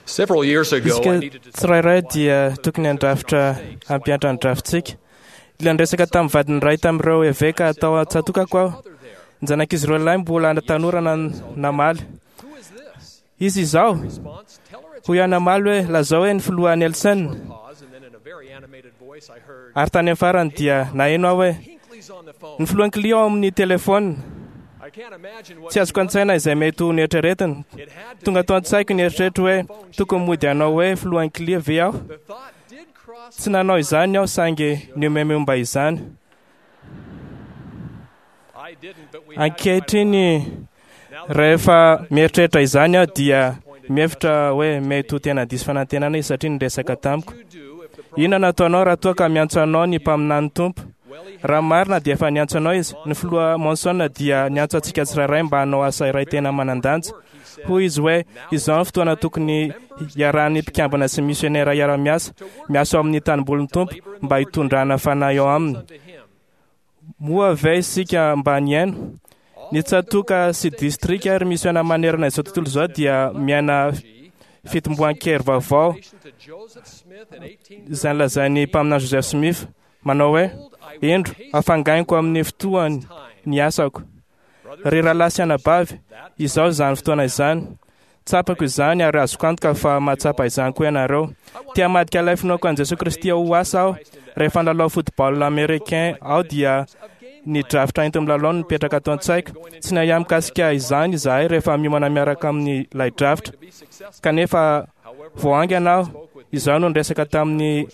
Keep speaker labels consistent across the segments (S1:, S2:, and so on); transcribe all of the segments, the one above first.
S1: Isika tsirairay dia tokony handrafitra hampiantra ny drafitsika. Ilay niresaka tamin'ny vadin'ny iray tamin'ireo eveka tao an-tsatòkako aho. Ny zanak'izy ireo lahy mbola tanora namaly. Iza izao? Hoy aho namaly hoe, lazao hoe ny filoha Nelson. Ary tany amin'ny farany dia naheno aho hoe, ny filoha Hinckley ao amin'ny telefaonina. Tsy azoko an-tsaina izay mety ho noeritreretiny. Tonga tao an-tsaiko ny eritreritro hoe tokony mody hanao hoe filoha Hinckley ve aho? Tsy nanao izany aho saingy nihomehy momba izany. Ankehitriny, rehefa mieritreritra izany aho dia mihevitra hoe mety ho tena diso fanantenana izy satria niresaka tamiko. Inona no ataonao raha toa ka miantso anao ny mpaminan'ny Tompo? Raha marina dia efa niantso anao izy. Ny filoha Monson dia niantso antsika tsirairay mba hanao asa iray tena manan-danja. Hoy izy hoe, Izao no fotoana tokony hiarahan'ny mpikambana sy misionera hiara-miasa, miasa ao amin'ny tanimbolin'ny Tompo mba hitondrana fanahy ao aminy. Moa ve isika mba nihaino? Ny tsatòka sy distrika ary misiona manerana izao tontolo izao dia miaina fitomboan-kery vaovao izay nolazain'ny mpaminany Joseph Smith manao hoe, Indro, hafangainiko amin'ny fotoany ny asako. Ry rahalahy sy anabavy, izao izany fotoana izany. Tsapako izany ary azoko antoka fa mahatsapa izany koa ianareo. Te hamadika ilay finoako an'i Jesoa Kristy ho asa aho. Rehefa nilalao football américain aho dia ny drafitra enti-milalao no nipetraka ato an-tsaiko. Tsy nahiahy mikasika izany izahay rehefa miomana miaraka amin'ilay drafitra. Kanefa vao haingana aho, izaho no niresaka tamin'i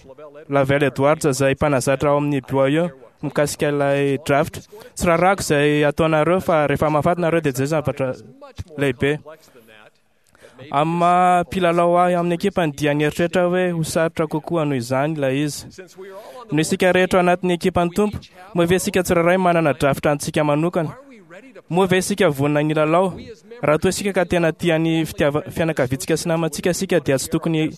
S1: Lavelle Edwards izay mpanazatra ao amin'ny BYU mikasika ilay drafitra. Tsy rarahako izay ataonareo fa rehefa mahafaty nareo dia izay zavatra lehibe. Amin'ny maha mpilalao ahy amin'ny ekipany dia nieritreritra hoe ho sarotra kokoa noho izany ilay izy. Noho isika rehetra ao anatin'ny ekipan'ny Tompo, moa ve isika tsirairay manana drafitra antsika manokana? Moa ve isika vonona ny hilalao? Raha toa isika ka tena tia ny fianakaviantsika sy namantsika isika dia tsy tokony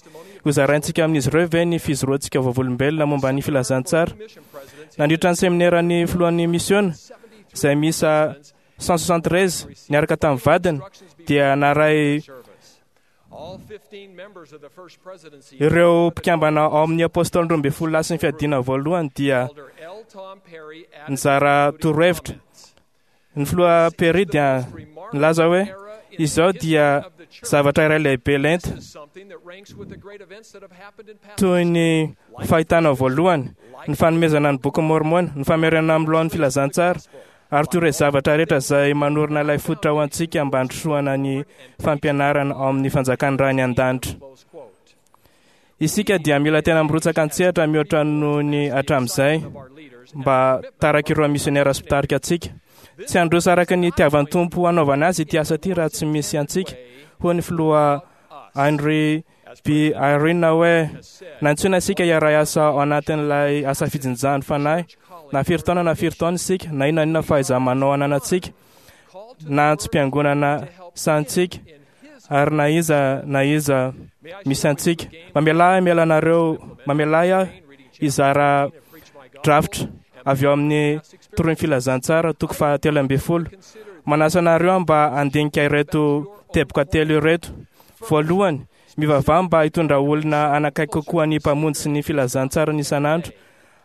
S1: hozaraintsika amin'izy ireo ve ny fijoroantsika vavolombelona momba ny filazantsara? Nandritra ny semineran'ny filohan'ny misiona, izay miisa 173 niaraka tamin'ny vadiny, dia naray ireo mpikambana ao amin'ny Apôstôly 12 lahy sy ny Fiadiana Voalohany dia nizara torohevitra. Ny filoha Perry dia nilaza hoe, Izao dia zavatra iray lehibe lenta, toy ny fahitana voalohany, ny fanomezana ny Bokin'i Môrmôna, ny famerenana amin'ny lohan'ny filazantsara, ary toy ireo zavatra rehetra izay manorina ilay fototra ho antsika mba handrosoana ny fampianarana ao amin'ny fanjakan'ny Ray any An-danitra. Isika dia mila tena mirotsaka an-tsehatra mihoatra noho ny hatramin'izay mba tarak'ireo misionera sy mpitarika antsika. Tsy handroso araka ny itiavan'ny Tompo hanaovana azy ity asa ity raha tsy misy antsika, hoy ny filoha Henry B. Eyring hoe, Nantsoina isika hiara-hiasa ao anatin'ilay asa fijinjany fanahy, na firy taona na firy taona isika, na inona na inona fahaiza-manao ananantsika, na antsom-piangonana sahantsika, ary na iza na iza misy antsika. Mamelà ahy miala anareo, mamelà ahy aho hizara drafitra avy ao amin'ny Toroin'ny Filazantsara, toko faha-13. Manasa anareo aho mba handinika ireto teboka telo ireto. Voalohany, mivavaha mba hitondra olona hanakaiky kokoa ny Mpamonjy sy ny filazantsarany isan'andro.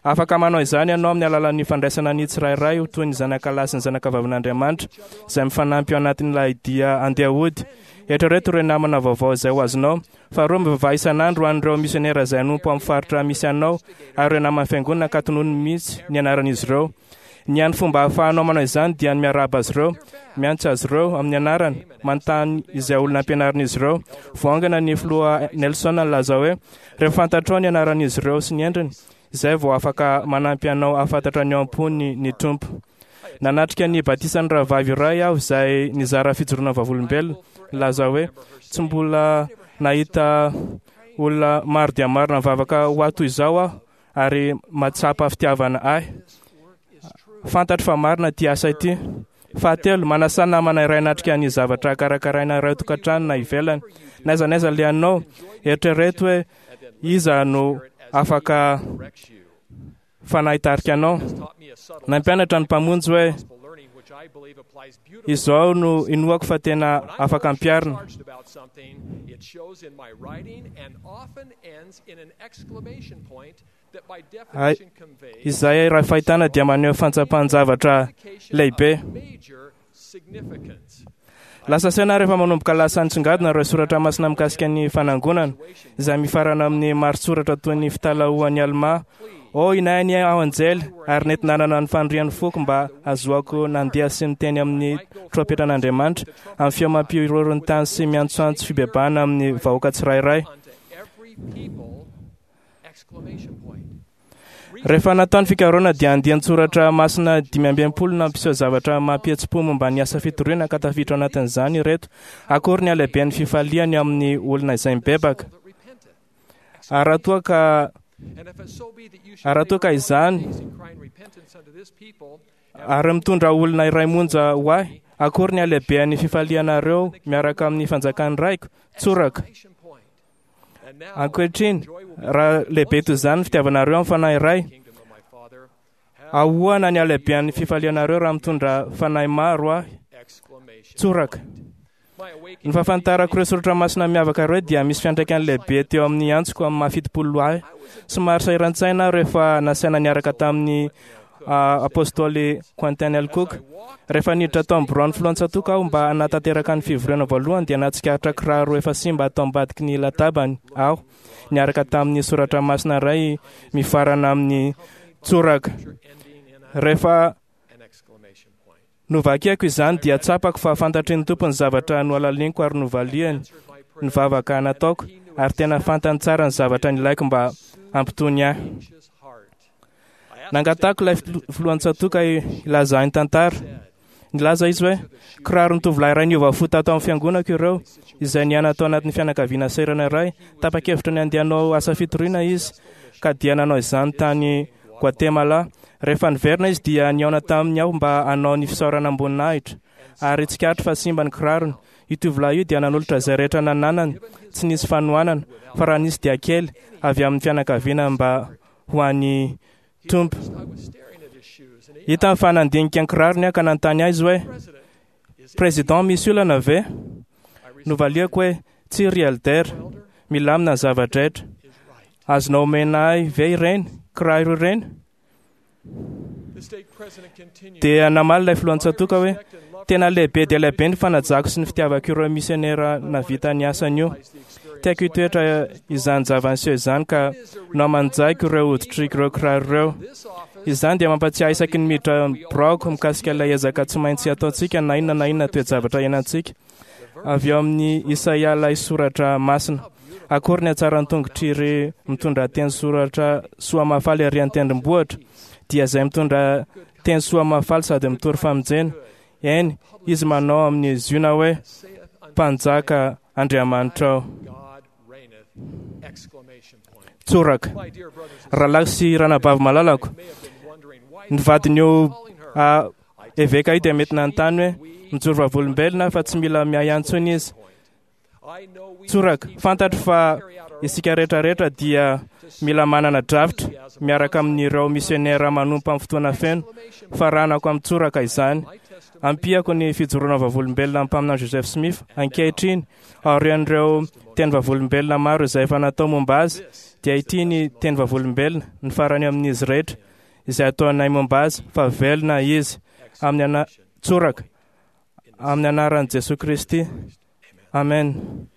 S1: Afaka manao izany ianao amin'ny alalan'ny fandraisana ny tsirairay ho toy ny zanakalahy sy ny zanakavavin'Andriamanitra, izay mifanampy ao anatin'ilay dia andeha hody. Eritrereto ireo namana vaovao izay ho azonao. Faharoa, mivavaha isan'andro ho an'ireo misionera izay hanompo amin'ny faritra misy anao ary ireo naman'ny Fiangonana ka tonony mihitsy ny anaran'izy ireo. Ny hany fomba ahafahanao manao izany dia ny miarahaba azy ireo, miantso azy ireo amin'ny anarany, manontany izay olona ampianarin'izy ireo. Vao haingana ny filoha Nelson nilaza hoe, Rehefa fantatrao ny anaran'izy ireo sy ny endriny, izay vao afaka manampy anao hahafantatra ny ao am-pony ny Tompo. Nanatrika ny batisan'ny rahavavy iray aho izay nizara fijoroana vavolombelona, nilaza hoe, Tsy mbola nahita olona maro dia maro nivavaka ho ahy toy izao aho ary mahatsapa fitiavana ahy. Fantatro fa marina ity asa ity. Fahatelo, manasà namana iray hanatrika ny zavatra karakaraina iray tokantrano na ivelany. Na aiza na aiza alehanao, eritrereto hoe iza no afaka fanahy hitarika anao. Nampianatra ny Mpamonjy hoe. Izao no inoako fa tena afaka ampiharina. Izay raha fahitana dia maneho fantsapan-javatra lehibe. Lasa saina rehefa manomboka lasa nisongadina ireo soratra masina mikasika ny fanangonana, izay mifarana amin'ny mari-tsoratra toy ny fitalahoan'i Almà, Ô inay anie aho anjely, ary nety nanana ny fanirian'ny foko mba hahazoako nandeha sy niteny amin'ny trompetran'Andriamanitra, amin'ny feo mampihorohoro ny tany sy miantsoantso fibebahana amin'ny vahoaka tsirairay. Rehefa natao ny fikarohana dia andian-tsoratra masina 65 nampiseho zavatra mampihetsi-po momba ny asa fitoriana ka tafiditra ao anatin'izany ireto: Akory ny halehiben'ny fifaliany amin'ny olona izay mibebaka! Ary raha toa ka ary raha toa ka izany ary mitondra olona iray monja ho ahy, akory ny halehiben'ny fifalianareo miaraka amin'ny fanjakan'ny Raiko! Tsoraka. Ankehitriny, raha lehibe toy izany ny fitiavanareo amin'ny fanahy iray, ahoana ny halehiben'ny fifalianareo raha mitondra fanahy maro ahy? Tsoraka. Ny fahafantarako ireo soratra masina miavaka ireo dia misy fiantraikany lehibe teo amin'ny antsoko amin'ny maha 70 ahy. Somary sahiran-tsaina aho rehefa nasaina niaraka tamin'ny Apostoly Quentin L. Cook. Rehefa niditra tao amin'ny biraon'ny filohan-tsatoka aho mba hanatanteraka ny fivoriana voalohany dia nahatsikaritra kiraro efa simba tao ambadiky ny latabany aho, niaraka tamin'ny soratra masina iray mifarana amin'ny tsoraka. Rehefa novakiako izany dia tsapako fa fantatry ny Tompo ny zavatra nohalaliniko ary novaliany ny vavaka nataoko ary tena fantany tsara ny zavatra nilaiko mba hampitony ahy. Nangatahako ilay filohan-tsatoka hilaza ahy ny tantara. Nilaza izy hoe, Kiraron'ny tovolahy iray niova fo tato amin'ny fiangonako ireo, izay niaina tao anatin'ny fianakaviana sahirana iray. Tapa-kevitra ny handeha hanao asa fitoriana izy, ka dia nanao izany tany Guatemala. Rehefa niverina izy dia nihaona taminy aho mba hanao ny fisaorana am-boninahitra, ary tsikaritro fa simba ny kirarony. Io tovolahy io dia nanolotra izay rehetra nananany, tsy nisy fanohanana, fa raha nisy dia kely, avy amin'ny fianakaviana mba ho an'ny Tompo. Hitany fa nandinika ny kirarony aho ka nanontany ahy izy hoe, Président, misy olana ve? Novaliako hoe, Tsia ry Elder, milamina ny zava-drehetra. Azonao omena ahy ve ireny kiraro ireny? Dia namaly ilay filohan-tsatoka hoe, Tena lehibe dia lehibe ny fanajako sy ny fitiavako ireo misionera nahavita ny asany io. Tiako hitoetra izany zava-niseho izany ka nohamanjaiko ireo hoditr'ireo kiraro ireo. Izany dia mampatsiahy isaky ny miditra ny biraoko mikasika ilay ezaka tsy maintsy ataontsika na inona na inona toe-javatra iainantsika. Avy ao amin'ny Isaia ilay soratra masina. Akory ny hatsaran'ny tongotr'ireo mitondra teny soratra soa mahafaly ary an-tendrombohitra, dia izay mitondra teny soa mahafaly sady mitory famonjena. Eny, izy manao amin'ny Ziona hoe, Mpanjaka Andriamanitrao. Tsoraka. Rahalahy sy ranabavy malalako, ny vadin'io eveka io dia mety nanontany hoe, Mijoro vavolombelona aho fa tsy mila miahy ahy intsony izy. Tsoraka. Fantatro fa isika rehetra rehetra dia mila manana drafitra miaraka amin'ireo misionera manompo amin'ny fotoana feno. Faranako amin'ny tsoraka izany. Ampiako ny fijoroana vavolombelona amin'ny mpaminany Joseph Smith ankehitriny, aorian'ireo teny vavolombelona maro izay efa natao momba azy, dia ity ny teny vavolombelona, ny farany amin'izy rehetra, izay ataonay momba azy, fa velona izy. Amin'ny ana-, tsoraka. Amin'ny anaran'i Jesoa Kristy. Amen.